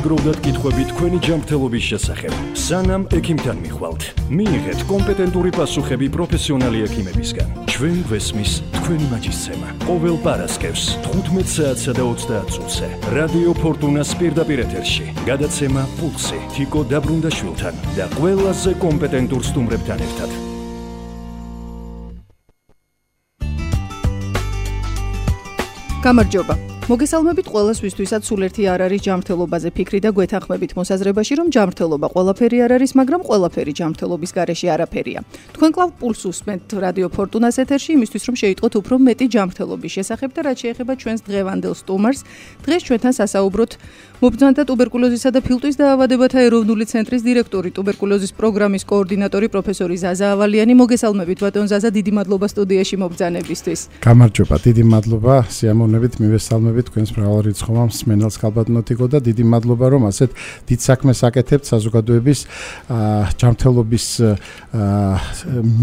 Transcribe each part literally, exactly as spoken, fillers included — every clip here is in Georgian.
გროვდათ კითხვები თქვენი ჯანმრთელობის შესახებ. სანამ ექიმთან მიხვალთ, მიიღეთ კომპეტენტური პასუხები პროფესიონალი ექიმებისგან. ჩვენ გვესმის თქვენი მაჯისცემა. ყოველ პარასკევს თხუთმეტ საათსა და ოცდაათ წუთზე რადიო ფორტუნას პირდაპირ ეთერში. გადაცემა პულსი თიკო დაბრუნდაშვილთან და ყველაზე კომპეტენტურ სტუმრებთან ერთად. გამარჯობა. მოგესალმებით ყველას, ვისთვისაც სულ ერთი არ არის ჯანმრთელობაზე ფიქრი და გვეთანხმებით მოსაზრებაში, რომ ჯანმრთელობა ყველაფერი არ არის, მაგრამ ყველაფერი ჯანმრთელობის გარეშე არაფერია. თქვენ კლავ პულს უსმენთ რადიო ფორტუნას ეთერში, იმისთვის რომ შეიტყოთ უფრო მეტი ჯანმრთელობის შესახებ და რაც შეეხება ჩვენს დღევანდელ სტუმარს. დღეს ჩვენთან სასაუბროთ მობრძანთა ტუბერკულოზისა და ფილტვის დაავადებათა ეროვნული ცენტრის დირექტორი, ტუბერკულოზის პროგრამის კოორდინატორი პროფესორი ზაზა ავალიანი. მოგესალმებით ბატონ ზაზა, დიდი მადლობა სტუდიაში მობრძანებისთვის. გამარჯობა, დიდი მადლობა, სიამოვნებით მივესალმებით თქვენს მრავალრიცხოვან მსმენელს კალბატონოტიკო და დიდი მადლობა რომ ასეთ დიდ საქმეს აკეთებთ საზოგადოების ჯანმრთელობის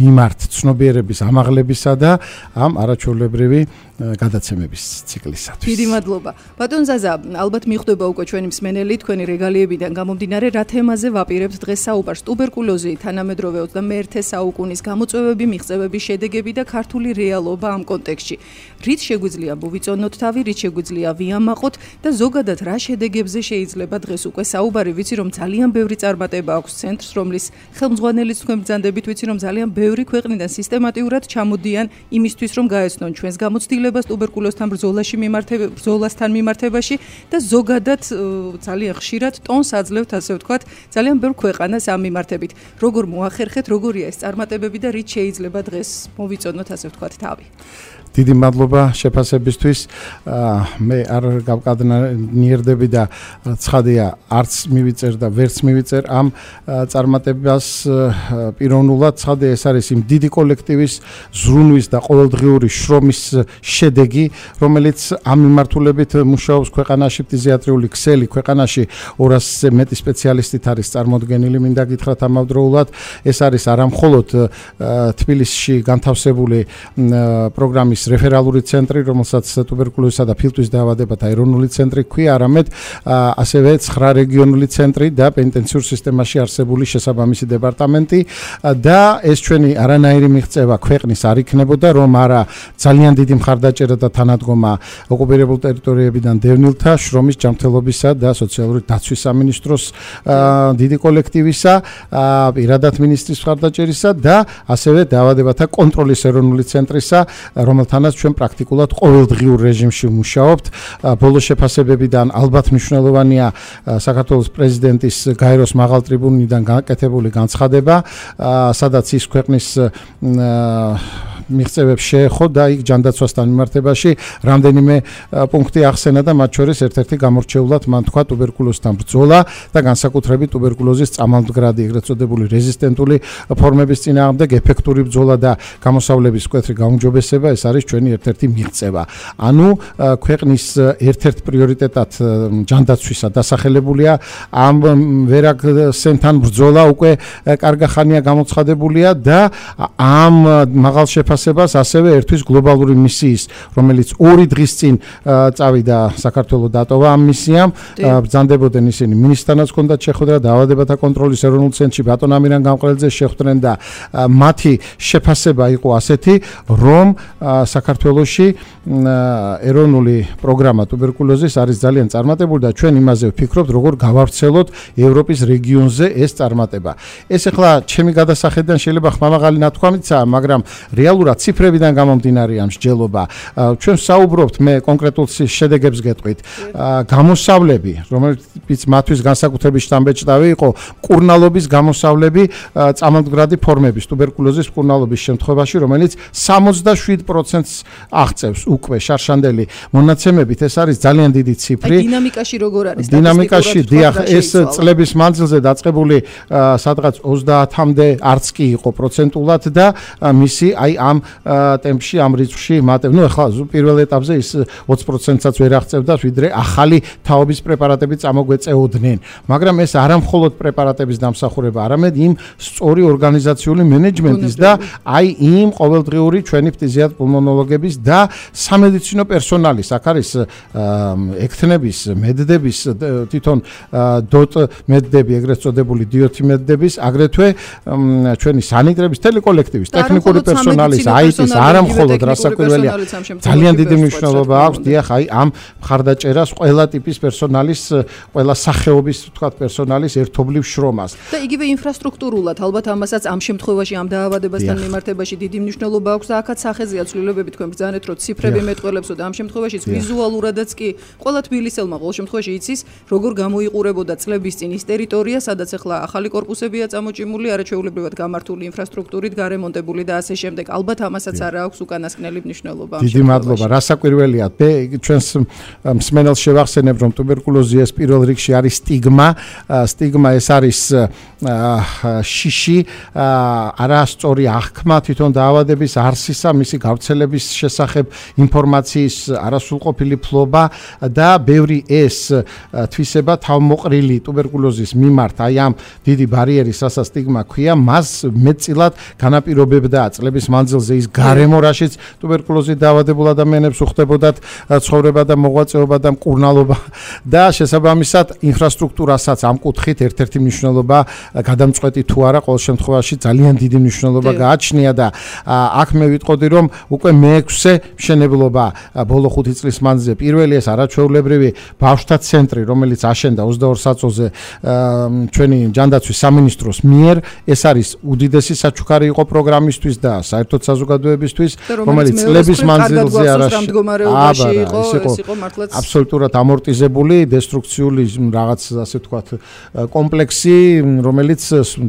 მიმართ ცნობიერების ამაღლებისა და ამ არაჩვეულებრივი გადაცემების ციკლისათვის. დიდი მადლობა. ბატონ ზაზა, ალბათ მიხვდება უკვე ჩვენი მსმენელი თქვენი რეგალიებიდან გამომდინარე, რა თემაზე ვაპირებთ დღეს საუბარს? ტუბერკულოზი, თანამედროვე ოცდამეერთე საუკუნის გამოწვევები, მიღწევების შედეგები და ქართული რეალობა ამ კონტექსტში. რით შეგვიძლია მოვიწონოთ თავი, რით შეგვიძლია ვიამაყოთ და ზოგადად რა შედეგებზე შეიძლება დღეს უკვე საუბარი? ვიცი რომ ძალიან ბევრი წარმატება აქვს ცენტრს, რომლის ხელმძღვანელიც თქვენ ბრძანდებით, ვიცი რომ ძალიან ბევრი ქვეყნიდან სისტემატიურად ჩამოდიან იმისთვის რომ გაეცნონ ჩვენს გამოცდილებას ტუბერკულოზთან ბრძოლაში მიმართება ბრძოლასთან მიმართებაში და ზოგადად ძალიან ხშირად ტონს აძლევთ, ასე ვთქვათ, ძალიან ბევრ ქვეყანას ამ მიმართებით. როგორ მოახერხეთ, როგორია ეს წარმატებები და რით შეიძლება დღეს მოვიწონოთ, ასე ვთქვათ, თავი? დიდი მადლობა შეფასებისთვის. მე არ გავკადნიერდები და ცხადია, არც მივიწერ და ვერც მივიწერ ამ წარმატებას პიროვნულად. ცხადია, ეს არის იმ დიდი კოლექტივის ზრუნვის და ყოველდღიური შრომის შედეგი, რომელიც ამ მიმართულებით მუშაობს ქვეყანაში, ფტიზიატრიული ქსელი ქვეყანაში ორასზე მეტი სპეციალისტით არის წარმოდგენილი. მინდა გითხრათ ამავდროულად, ეს არის არამხოლოდ თბილისში განთავსებული პროგრამის რეფერალური ცენტრი, რომელსაც ტუბერკულოზისა და ფილტვის დაავადებათა ეროვნული ცენტრი ჰქვია, არამედ ასევე ცხრა რეგიონული ცენტრი და პენიტენციურ სისტემაში არსებული შესაბამისი დეპარტამენტი და ეს ჩვენი არანაირი მიღწევა ქვეყნის არ იქნებოდა, რომ არა ძალიან დიდი მხარდაჭერა და თანადგომა ოკუპირებულ ტერიტორიებიდან დევნილთა შრომის, ჯანმრთელობისა და სოციალური დაცვის სამინისტროს დიდი კოლექტივისა, პირადად მინისტრის მხარდაჭერისა და ასევე დაავადებათა კონტროლის ეროვნული ცენტრისა, რომელთანაც ჩვენ პრაქტიკულად ყოველდღიურ რეჟიმში მუშაობთ. ბოლო შეფასებებიდან ალბათ მნიშვნელოვანია საქართველოს პრეზიდენტის გაეროს მაღალ ტრიბუნიდან გაკეთებული განცხადება, სადაც ის ქვეყნის მიღწევებს შეეხო და იქ ჯანდაცვასთან მიმართებაში რამდენიმე პუნქტი ახსენა და მათ შორის ერთ-ერთი გამორჩეულად მან თქვა ტუბერკულოზთან ბრძოლა და განსაკუთრებით ტუბერკულოზის წამალმდგრადი, ეგრეთ წოდებული რეზისტენტული ფორმების წინააღმდეგ ეფექტური ბრძოლა და გამოსავლების მკვეთრი გაუმჯობესება, ეს არის ჩვენი ერთ-ერთი მიღწევა. ანუ ქვეყნის ერთ-ერთ პრიორიტეტად ჯანდაცვისა დასახელებულია ამ ვერაგსენთან ბრძოლა უკვე კარგახანია გამოცხადებულია და ამ მაღალ შეფასებას ასევე ერთვის გლობალური მისიის, რომელიც ორი დღის წინ წავიდა საქართველოს დატოვა ამ მისიამ. ბრძანდებოდნენ ისინი მინისტრთანაც ჰქონდათ შეხვედრა, დაავადებათა კონტროლის ეროვნულ ცენტრში ბატონ ამირან გამყრელძე შეხვდნენ და მათი შეფასება იყო ასეთი, რომ საქართველოში ეროვნული პროგრამა ტუბერკულოზის არის ძალიან წარმატებული და ჩვენ იმაზე ვფიქრობთ, როგორ გავავრცელოთ ევროპის რეგიონზე ეს წარმატება. ეს ახლა ჩემი გადასახედიდან შეიძლება ხმამაღალი ნათქვამიცაა, მაგრამ რეალურად ციფრებიდან გამომდინარე ამ მსჯელობა. ჩვენ საუბრობთ, მე კონკრეტულ შედეგებს გეტყვით. გამოსავლები, რომელიც მათთვის განსაკუთრებით შთამბეჭდავი იყო, მკურნალობის გამოსავლები, წამალმდგრადი ფორმების ტუბერკულოზის მკურნალობის შემთხვევაში, რომელიც სამოცდაშვიდ პროცენტს აღწევს უკვე შარშანდელი მონაცემებით. ეს არის ძალიან დიდი ციფრი. დინამიკაში როგორ არის? დინამიკაში, დიახ, ეს წლების მანძილზე დაწყებული სადღაც ოცდაათამდე არც კი იყო პროცენტულად და მისი აი ამ ტემპში, ამ რიცხვში მატებ. ნუ ახლა პირველ ეტაპზე ის ოცი პროცენტსაც ვერ აღწევდა, ვიდრე ახალი თაობის პრეპარატები წამოგვეწეოდნენ. მაგრამ ეს არა მხოლოდ პრეპარატების დამსახურება, არამედ იმ სწორი ორგანიზაციული მენეჯმენტის და აი იმ ყოველდღიური ჩვენი ფტიზიატრ პულმონოლოგების და სამედიცინო პერსონალის, აქ არის ექთნების, მედდების, თვითონ დოტ მედდები, ეგრეთ წოდებული დიოთი მედდების, აგრეთვე ჩვენი სანიტრების ტელეკოლექტივის, ტექნიკური პერსონალის, აიტის, არა მხოლოდ რასაკვირველია, ძალიან დიდი მნიშვნელობა აქვს, დიახ, აი ამ მხარდაჭერას ყველა ტიპის პერსონალის, ყველა სახეობის, ვთქვათ, პერსონალის ერთობლივ შრომას. და იგივე ინფრასტრუქტურულად, ალბათ ამასაც ამ შემთხვევაში ამ დაავადებასთან მიმართებაში დიდი მნიშვნელობა აქვს და აქაც სახეზეა ცვლილებები თქვენ ბრძანეთ, რომ ციფრები მეტყველებსო და ამ შემთხვევაში ვიზუალურადაც კი ყველა თბილისელმა ყოველ შემთხვევაში იცის, როგორ გამოიყურებოდა წლების წინ ის ტერიტორია, სადაც ახლა ახალი კორპუსებია წამოჭიმული, არაჩვეულებრივად გამართული ინფრასტრუქტურით, გარემონტებული და ასე შემდეგ. ალბათ ამასაც არა აქვს უკანასკნელი მნიშვნელობა. დიდი მადლობა. რასაკვირველია, ჩვენს მსმენელს შევახსენებ, რომ ტუბერკულოზი ეს პირველ რიგში არის სტიგმა. სტიგმა ეს არის შიში, არასწორი აღქმა თვითონ დაავადების არსისა, მისი გავრცელების შესახებ ინფორმაციის არასრულყოფილი ფლობა და ბევრი ეს თვისება თავმოყრილი ტუბერკულოზის მიმართ, აი ამ დიდი ბარიერის, რასაც სტიგმა ქვია, მას მეტწილად განაპირობებდა წლების მანძილზე ის გარემო, რაშიც ტუბერკულოზით დაავადებულ ადამიანებს უხდებოდათ ცხოვრება და მოღვაწეობა და მკურნალობა და შესაბამისად ინფრასტრუქტურასაც ამ კუთხით ერთ-ერთი მნიშვნელობა გადამწყვეტი თუ არა, ყოველ შემთხვევაში ძალიან დიდი მნიშვნელობა გააჩნია და აქ მე ვიტყოდი, რომ უკვე მეექვსე მშენებლობა ბოლო ხუთი წლის მანძილზე, პირველი ეს არაჩვეულებრივი ბავშვთა ცენტრი, რომელიც აშენდა ოცდაორ საწოლზე ჩვენი ჯანდაცვის სამინისტროს მიერ, ეს არის უდიდესი საჩუქარი იყო პროგრამისთვის და საერთოდ საზოგადოებისთვის, რომელიც წლების მანძილზე არაში იყო აბსოლუტურად ამორტიზებული, დესტრუქციული რაღაც, ასე ვთქვათ, კომპლექსი, რომელიც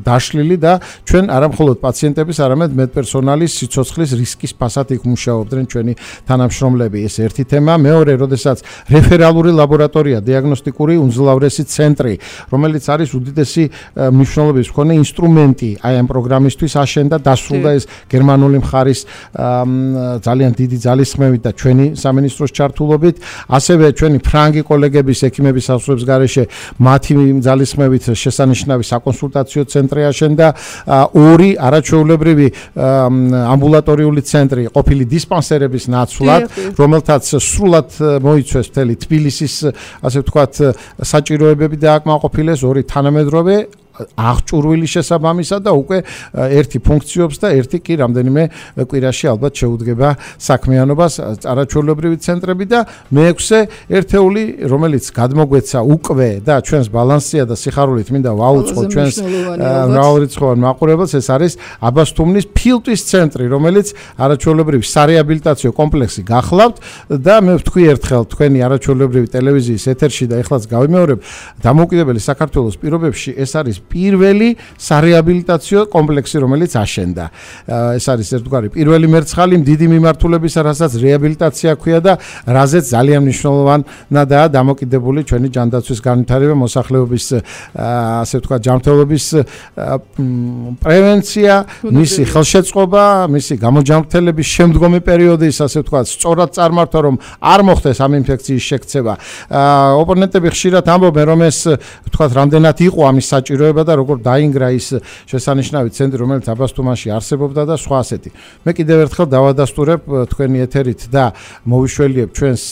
დაშლილი და ჩვენ არა მხოლოდ პაციენტების, არამედ მედპერსონალის სიცოცხლის რისკის ფასად იქ მუშაობდნენ ჩვენი თანამშრომლები. ეს ერთი თემა. მეორე, როდესაც რეფერალური ლაბორატორია, დიაგნოსტიკური უმძლავრესი ცენტრი, რომელიც არის უდიდესი მნიშვნელობის მქონე ინსტრუმენტი აი ამ პროგრამისთვის აშენდა, დასრულდა ეს გერმანული მხარის ძალიან დიდი ძალისხმევით და ჩვენი სამინისტროს ჩართულობით, ასევე ჩვენი ფრანგი კოლეგების, ექიმების სასწავლებლების გარეშე მათი ძალისხმევით შესანიშნავი საკონსულტაციო ცენტრი აშენდა, ორი არაჩვეულებრივი ამბულატორიული ცენტრი ყოფილი დისპანსერების ნაცვლად, რომელთაც სრულად მოიცვეს მთელი თბილისის, ასე ვთქვათ, საჭიროებები დააკმაყოფილეს, ორი თანამედროვე აღჭურვილი შესაბამისად და უკვე ერთი ფუნქციობს და ერთი კი რამდენიმე კვირაში ალბათ შეუდგება საქმიანობას არაჩვეულებრივი ცენტრები და მეექვსე ერთეული, რომელიც გადმოგვეცა უკვე და ჩვენს ბალანსია და სიხარულით მინდა ვაუწყო ჩვენს მრავალრიცხოვან მაყურებელს, ეს არის აბასთუმნის ფილტვის ცენტრი, რომელიც არაჩვეულებრივი სარეაბილიტაციო კომპლექსი გახლავთ და მე ვთქვი ერთხელ თქვენი არაჩვეულებრივი ტელევიზიის ეთერში და ეხლაც გავიმეორებ, დამოუკიდებელი საქართველოს პირობებში ეს არის პირველი სარეაბილიტაციო კომპლექსი, რომელიც აშენდა. ეს არის ერთგვარი პირველი მერცხალი დიდი მიმართულებისა, რასაც რეაბილიტაცია ქვია და რაზეც ძალიან მნიშვნელოვანადაა დამოკიდებული ჩვენი ჯანდაცვის განვითარება, მოსახლეობის, ასე ვთქვათ, ჯანმრთელობის პრევენცია, მისი ხელშეწყობა, მისი გამოჯანმრთელების შემდგომი პერიოდის, ასე ვთქვათ, სწორად წარმართვა, რომ არ მოხდეს ამ ინფექციის შექცევა. ოპონენტები ხშირად ამბობენ, რომ ეს, ვთქვათ, რამდენად იყო ამის საჭიროება და როგორ დაინგრა ის შესანიშნავი ცენტრი, რომელიც აბასთუმანში არსებობდა და სხვა ასეთი. მე კიდევ ერთხელ დავადასტურებ თქვენი ეთერით და მოვიშველიებ ჩვენს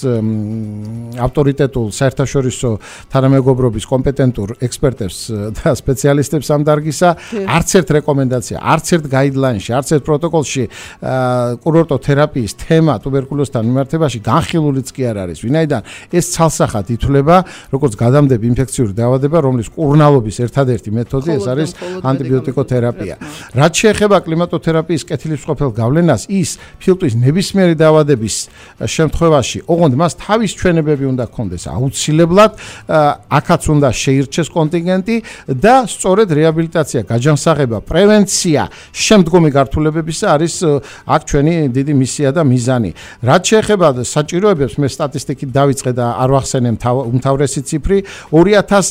ავტორიტეტულ საერთაშორისო თანამეგობრობის კომპეტენტურ ექსპერტებს და სპეციალისტებს ამ დარგისა, არც ერთ რეკომენდაცია, არც ერთ გაიდლაინში, არც ერთ პროტოკოლში კურორტოთერაპიის თემა ტუბერკულოზთან მიმართებაში განხილულიც კი არ არის. ვინაიდან ეს ცალსახად ითვლება როგორც გადამდები ინფექციური დაავადება, რომლის კურნალობის ერთადერთი მეთოდი ეს არის ანტიბიოტიკოთერაპია. რაც შეეხება კლიმატოთერაპიის კეთილისმყოფელ გავლენას, ის ფილტვის ნებისმიერი დაავადების შემთხვევაში, ოღონდ მას თავის ჩვენებები უნდა ჰქონდეს აუცილებლად, აქაც უნდა შეირჩეს კონტინგენტი და სწორედ რეაბილიტაცია, გაჯანსაღება, პრევენცია შემდგომი გართულებებისა არის აქ ჩვენი დიდი მისია და მიზანი. რაც შეეხება საჭიროებებს, მე სტატისტიკით დავიწყე და არ ვახსენე უმთავრესი ციფრი, ორი ათას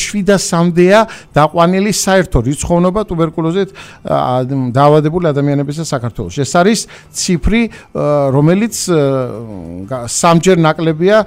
შვიდას ათასამდეა დაყვანილი საერთო რიცხოვნობა ტუბერკულოზით დაავადებული ადამიანების საქართველოში. ეს არის ციფრი, რომელიც სამჯერ ნაკლებია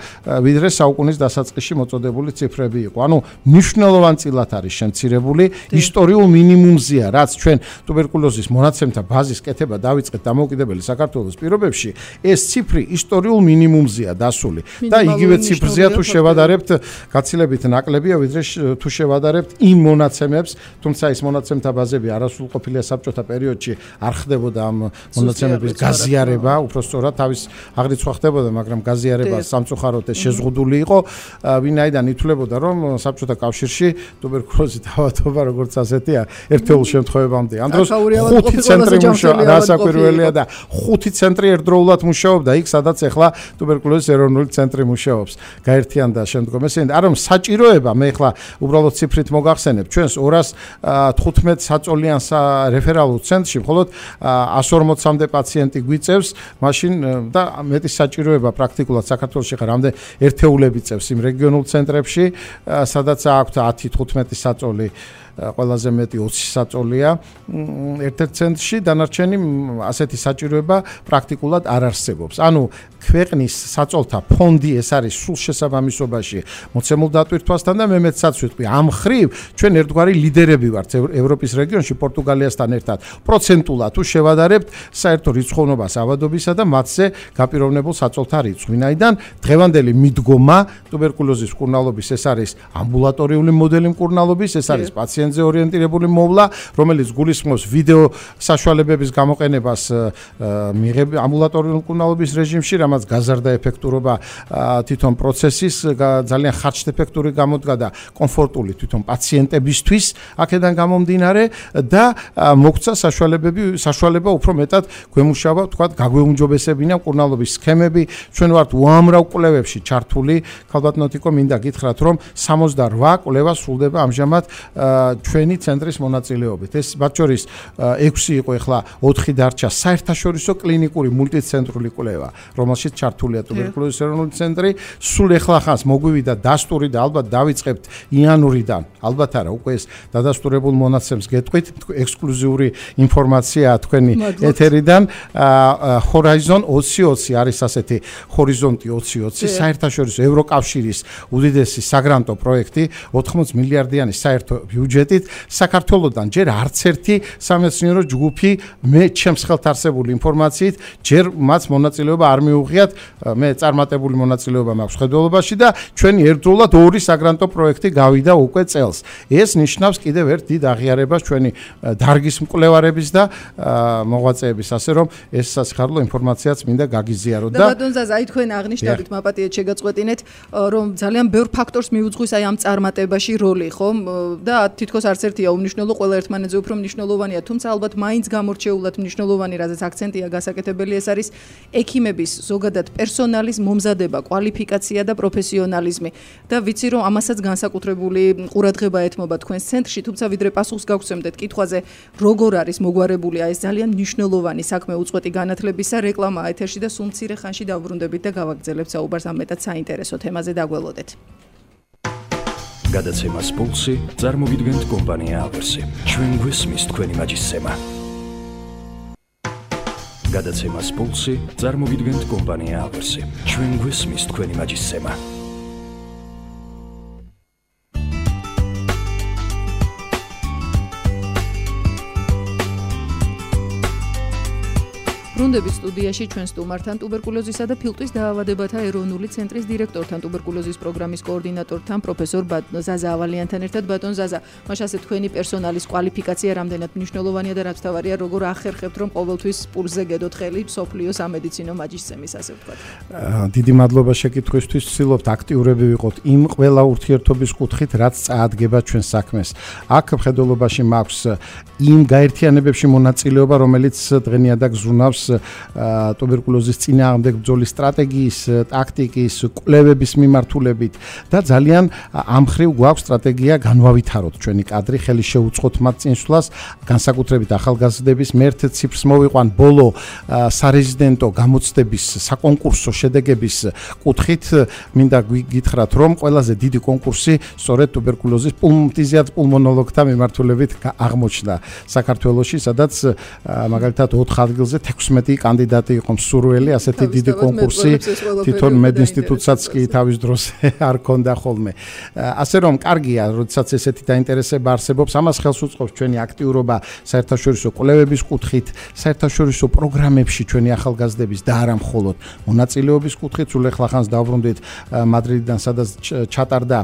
ვიდრე საუკუნის დასაწყისში მოწოდებული ციფრები იყო. ანუ მნიშვნელოვანწილად არის შემცირებული, ისტორიულ მინიმუმზეა, რაც ჩვენ ტუბერკულოზის მონაცემთა ბაზის კეთება დავიწყეთ დამოუკიდებელი საქართველოს პირობებში, ეს ციფრი ისტორიულ მინიმუმზეა დასული და იგივე ციფრზეა თუ შევადარებთ, გაცილებით ნაკლებია ვიდრე თუ შევადარებთ იმ მონაცემებს, თუმცა ეს მონაცემთა ბაზები არასრულყოფილია საბჭოთა პერიოდში, არ ხდებოდა ამ მონაცემების გაზიარება, უბრალოდ თავის აღრიცხვა ხდებოდა, მაგრამ გაზიარება სამწუხაროდ ეს შეზღუდული იყო, ვინაიდან ითვლებოდა, რომ საბჭოთა კავშირში ტუბერკულოზით დაავადება როგორც ასეთია, ერთეულ შემთხვევებამდე. ამ დროს ხუთი ცენტრი მუშაობდა, რასაკვირველია და ხუთი ცენტრი ერთდროულად მუშაობდა იქ, სადაც ახლა ტუბერკულოზის ეროვნული ცენტრი მუშაობს. გაერთიანდა შემდგომ ესენი, არა რომ საჭიროება, მე ახლა უბრალოდ ციფრით მოგახსენებ, ჩვენს ორას თხუთმეტ საწოლიან რეფერალურ ცენტრში მხოლოდ εκατს ორმოცამდე პაციენტი გვიწევს, მაშინ და მეტი საჭიროება პრაქტიკულად საქართველოში ხარ რამდენ ერთეულები წევს იმ რეგიონულ ცენტრებში, სადაც აქვთ ათი თხუთმეტი საწოლი ყველაზე მეტი ოცი საწოლია ერთ-ერთ ცენტრში, დანარჩენი ასეთი საჭიროება პრაქტიკულად არ არსებობს. ანუ ქვეყნის საწოლთა ფონდი ეს არის სულ შესაბამისობაში მოცემულ დატვირთვასთან და მე მეცაც ვიტყვი, ამ ხრივ ჩვენ ერთგვარი ლიდერები ვართ ევროპის რეგიონში პორტუგალიასთან ერთად. პროცენტულად თუ შევადარებთ საერთო რიცხოვნობას ავადობისა და მათზე გაპიროვნებულ საწოლთა რიცხვს, ვინაიდან დღევანდელი მიდგომა ტუბერკულოზის მკურნალობის ეს არის ამბულატორიული მოდელი მკურნალობის, ეს არის პაციენტზე ორიენტირებული მოვლა, რომელიც გულისხმობს ვიდეო საშუალებების გამოყენებას ამბულატორიული მკურნალობის რეჟიმში, რამაც გაზარდა ეფექტურობა თვითონ პროცესის, ძალიან ხარჯეფექტური გამოდგა და კომფორტული თვითონ პაციენტებისთვის აქედან გამომდინარე და მოგცა საშუალებები, საშუალება უფრო მეტად გვემუშავა, თქვათ, გაგვეუმჯობესებინა მკურნალობის სქემები. ჩვენ ვართ უამრავ კვლევებში ჩართული, ქალბატონო, მინდა გითხრათ, რომ სამოცდაოთხ კვლევა სრულდება ამჟამად ჩვენი ცენტრის მონაწილეობით. ეს მათ შორის ექვსი იყო, ახლა ოთხი დარჩა საერთაშორისო კლინიკური მულტიცენტრული კვლევა, რომელშიც ჩართულია ტუბერკულოზის ეროვნული ცენტრი. სულ ახლა ხანს მოგვივიდა დასტური და ალბათ დავიწყებთ იანვრიდან. ალბათ არა, უკვე ეს დადასტურებულ მონაცემს გეტყვით, ექსკლუზიური ინფორმაცია თქვენი ეთერიდან. Horizon ოცი ოცი არის ასეთი ჰორიზონტი ოცი ოცი, საერთაშორისო ევროკავშირის უდიდესი საგრანტო პროექტი, ოთხმოცდაოთხ მილიარდიანი საერთო ბიუჯეტით. საქართველოსთან ჯერ არც ერთი სამეცნიერო ჯგუფი მე ჩემს ხელთ არსებული ინფორმაციით ჯერ მას მონაწილეობა არ მიუღიათ, მე წარმატებული მონაწილეობა მაქვს ხედველობაში და ჩვენი ერთდროულად ორი საგრანტო პროექტი გავიდა უკვე წელს. ეს ნიშნავს კიდევ ერთ დიდ აღიარებას ჩვენი დარგის მკვლევარების და მოღვაწეების, ასე რომ ეს სასიხარულო ინფორმაციაც მინდა გაგიზიარო და ბატონ ზაზა, აი თქვენ აღნიშნავთ, მაპატიეთ შეგაწყვეტინეთ, რომ ძალიან ბევრ ფაქტორს მიუძღვის აი ამ წარმატებაში როლი, ხომ? და თითქოს არც ერთია უმნიშვნელო, ყველა ერთმანეთზე უფრო მნიშვნელოვანია, თუმცა ალბათ მაინც გამორჩეულად მნიშვნელოვანი, რაზეც აქცენტია გასაკეთებელი, ეს არის ექიმების ზოგადად პერსონალის მომზადება, კვალიფიკაცია და პროფესიონალიზმი. და ვიცი, რომ ამასაც განსაკუთრებული ყურადღება ეთმობა თქვენს ცენტრში, თუმცა ვიდრე პასუხს გავგზავნეთ კითხვაზე, როგორ არის მოგვარებული ეს ძალიან მნიშვნელოვანი საქმე უწყვეტი განათლებისა, რეკლამა ეთერში და სულ მცირე ხანში დავბრუნდებით და გავაგრძელებთ საუბარს ამ მეტად საინტერესო თემაზე, დაგველოდეთ. გადაცემას პულსი წარმოგიდგენთ კომპანია ავერსი. ჩვენ გვესმის თქვენი მაჯისცემა. გადაცემას პულსი წარმოგიდგენთ კომპანია ავერსი. ჩვენ გვესმის თქვენი მაჯისცემა. ბრუნდებით სტუდიაში ჩვენ სტუმართან, ტუბერკულოზისა და ფილტვის დაავადებათა ეროვნული ცენტრის დირექტორთან, ტუბერკულოზის პროგრამის კოორდინატორთან, პროფესორ ზაზა ავალიანთან ერთად. ბატონ ზაზა, მაშასე თქვენი პერსონალის კვალიფიკაცია რამდენად მნიშვნელოვანია და რაც თავარია, როგორ ახერხებთ, რომ ყოველთვის პულსზე გედოთ ხელი მსოფლიო სამედიცინო მაჯისცემის, ასე ვთქვათ. დიდი მადლობა შეკითხვისთვის. ვცდილობთ აქტიურები ვიყოთ იმ ყველა ურთიერთობის კუთხით, რაც წაადგება ჩვენ საქმეს. აქ მხედველობაში მაქვს იმ გაერთიანებებში მონაწილეობა, რომელიც დღენიადაგ ზრუნავს ტუბერკულოზის წინააღმდეგ ბრძოლის სტრატეგიის, ტაქტიკის, კვლევების მიმართულებით და ძალიან ამ მხრივ გვაქვს სტრატეგია განვავითაროთ ჩვენი კადრი, ხელი შეუწყოთ მათ წინსვლას, განსაკუთრებით ახალგაზრდების მერთ ციფრს მოვიყვან ბოლო სარეზიდენტო გამოცდების საკონკურსო შედეგების კუთხით მინდა გითხრათ, რომ ყველაზე დიდი კონკურსი სწორედ ტუბერკულოზის პულმონოლოგთა პულმონოლოგთა მიმართულებით აღმოჩნდა საქართველოში, სადაც მაგალითად ოთხ ადგილზე თექვსმეტი კანდიდატი იყო მსურველი, ასეთი დიდი კონკურსი თვითონ მედინსტიტუტსაც კი თავის დროს არ ქონდა ხოლმე. ასე რომ კარგია, როდესაც ესეთი დაინტერესება არსებობს, ამას ხელს უწყობს ჩვენი აქტიურობა საერთაშორისო კვლევების კუთხით, საერთაშორისო პროგრამებში ჩვენი ახალგაზრდების და არა მხოლოდ მონაწილეობის კუთხით. სულ ახლახანს დავბრუნდით მადრიდიდან, სადაც ჩატარდა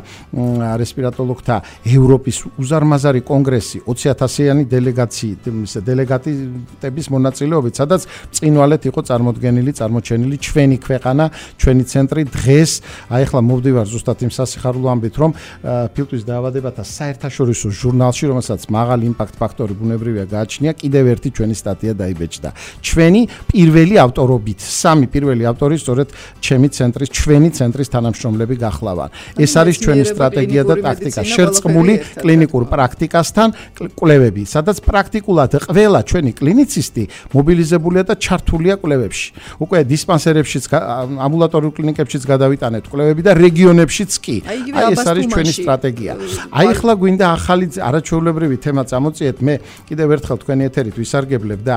რესპირატოლოგთა ევროპის უზარმაზარი კონგრესი ოცი ათასიანი დელეგაციით, დელეგატების მონაწილეობით, სადაც წინვალეთ იყო წარმოდგენილი, წარმოჩენილი ჩვენი ქვეყანა, ჩვენი ცენტრი. დღეს აი ახლა მოვდივარ ზუსტად იმ სასიხარულო ამბით, რომ ფილტვის დაავადებათა საერთაშორისო ჟურნალში, რომელსაც მაღალი იმპაქტ ფაქტორი ბუნებრივია გააჩნია, კიდევ ერთი ჩვენი სტატია დაიბეჭდა. ჩვენი პირველი ავტორობით, სამი პირველი ავტორი სწორედ ჩემი ცენტრის, ჩვენი ცენტრის თანამშრომლები გახლავან. ეს არის ჩვენი სტრატეგია და ტაქტიკა, შერწყმული კლინიკურ პრაქტიკასთან კვლევები, სადაც პრაქტიკულად ყველა ჩვენი კლინიცისტი მობილიზებულია და ჩართულია კვლევებში. უკვე დისპანსერებშიც, ამბულატორიულ კლინიკებშიც გადავიტანეთ კვლევები და რეგიონებშიც კი. აი ეს არის ჩვენი სტრატეგია. აი ახლა გვინდა ახალი არაჩვეულებრივი თემა წამოწიეთ. მე კიდევ ერთხელ თქვენი ეთერით ვისარგებლებ და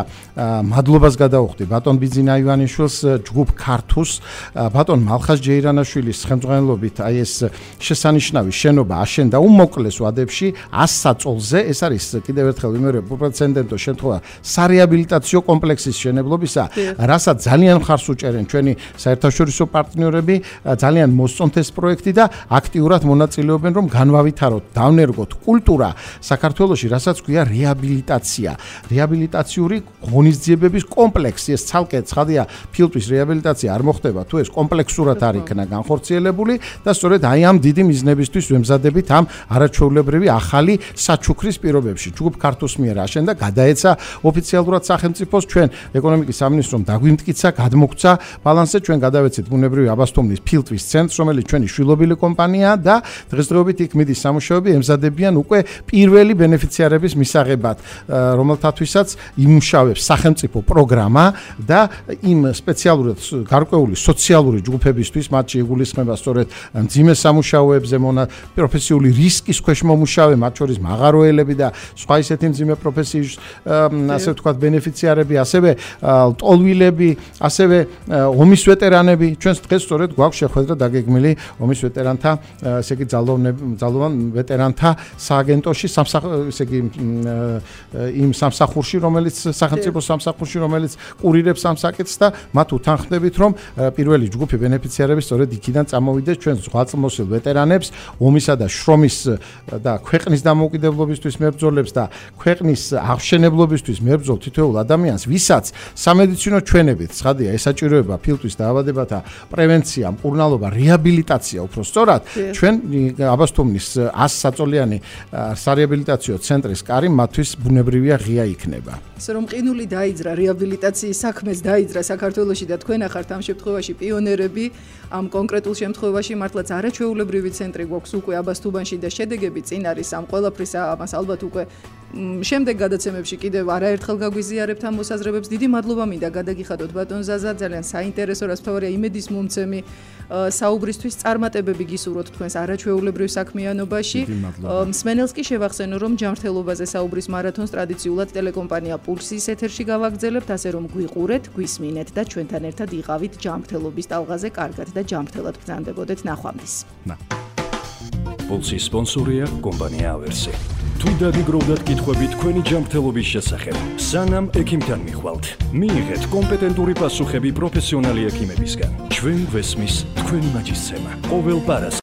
მადლობას გადავუხდი ბატონ ბიძინა ივანიშვილს, ჯგუფ ქართუს, ბატონ მალხაზ ჯეირანაშვილის ხელმძღვანელობით აი ეს შესანიშნავი შენობა აშენდა უმოკლეს ვადებში ას საწოლზე. ეს არის კიდევ ერთხელ ვიმეორებ უპრეცედენტო შემთხვევა სარეაბილიტაციო კომპლექსის შენებლობისა, რასაც ძალიან მხარს უჭერენ ჩვენი საერთაშორისო პარტნიორები, ძალიან მოსწონთ ეს პროექტი და აქტიურად მონაწილეობენ, რომ განვავითაროთ, დავნერგოთ კულტურა საქართველოში, რასაც ქვია რეაბილიტაცია, რეაბილიტაციური ღონისძიებების კომპლექსი. ეს ცალკე ცხადია, ფილტვის რეაბილიტაცია არ მოხდება თუ ეს კომპლექსურად არ იქნა განხორციელებული და სწორედ აი ამ დიდი მიზნებისთვის ვემზადებით ამ არაჩვეულებრივი ახალი საჩუქრის პირობებში. ჯგუფ ქართუს მიერ აშენდა, გადაეცა ოფიციალურად სახელმწიფოს, ჩვენ ეკონომიკის სამინისტრომ დაგვიმტკიცა, გადმოგცა ბალანსზე, ჩვენ გადავეცეთ ბუნებრივი აბასთუმნის ფილტვის ცენტრს, რომელიც ჩვენი შვილობილი კომპანიაა და დღესდღეობით იქ მიდის სამუშაოები, ემზადებიან უკვე პირველი ბენეფიციარების მისაღებად, რომელთათვისაც იმუშავებს სახელმწიფო პროგრამა და იმ სპეციალურად გარკვეული სოციალური ჯგუფებისთვის, მათში იგულისხმება სწორედ მძიმე სამუშაოებზე მონა პროფესიული რისკის ქვეშ მომუშავე, მათ შორის მაღაროელები და სხვა ისეთი მძიმე პროფესიის ასე ვთქვათ ბენეფიციარები, ასევე ლტოლვილები, ასევე ომის ვეტერანები. ჩვენს დღეს სწორედ გვაქვს შეხვედრა დაგეგმილი ომის ვეტერანთა, ესე იგი ძალოვან ვეტერანთა სააგენტოში, ესე იგი იმ სამსახურში, რომელიც სახელმწიფო სამსახურში, რომელიც კურირებს ამ საკითხს და მათ უთანხმდებით, რომ პირველი ჯგუფი ბენეფიციარები სწორედ იქიდან წამოვიდეს ჩვენ ზღვაწლმოსილ ვეტერანებს, ომისა და შრომის და ქვეყნის დამოუკიდებლობისთვის მებრძოლებს და ქვეყნის აღშენებლობისთვის მებრძოლ თითოეულ ადამიანს, ვისაც სამედიცინო ჩვენებით, ცხადია, ესაჭიროება ფილტვის დაავადებათა პრევენცია, მკურნალობა, რეაბილიტაცია, უფრო სწორად, ჩვენ აბასთუმნის ას საწოლიანი სარეაბილიტაციო ცენტრის კარი მათთვის ბუნებრივია ღია იქნება. ისე რომ ყინული დაიძრა, რეაბილიტაციის საქმეს დაიძრა საქართველოში და თქვენ ახართ ამ შემთხვევაში პიონერები, ამ კონკრეტულ შემთხვევაში მართლაც არაჩვეულებრივი ცენტრი გვაქვს უკვე აბასთუმანში და შედეგები წინ არის ამ ყველაფრის, ამას ალბათ უკვე შემდეგ გადაცემებში კიდევ არაერთხელ გაგვიზიარებთ ამ მოსაზრებებს. დიდი მადლობა მინდა გადაგიხადოთ ბატონ ზაზა, ძალიან საინტერესო, რაც თავარია იმედის მომცემი საუბრისთვის, წარმატებები გისურვოთ თქვენს არაჩვეულებრივ საქმიანობაში. მსმენელს კი შევახსენო, რომ ჯანმრთელობაზე საუბრის მარათონს ტრადიციულად ტელეკომპანია პულსის ეთერში გავაგრძელებთ, ასე რომ გვიყურეთ, გვისმინეთ და ჩვენთან ერთად იყავით ჯანმრთელობის ტალღაზე, კარგად და ჯანმრთელად ბრძანდებოდეთ. ნახვამდის. პულსის სპონსორია კომპანია ავერსი. თუ დაგიგროვდათ კითხვები თქვენი ჯანმრთელობის შესახებ, სანამ ექიმთან მიხვალთ, მიიღეთ კომპეტენტური პასუხები პროფესიონალი ექიმებისგან. ჩვენ გვესმის თქვენი მაჯისცემა. ყოველ პარასკევს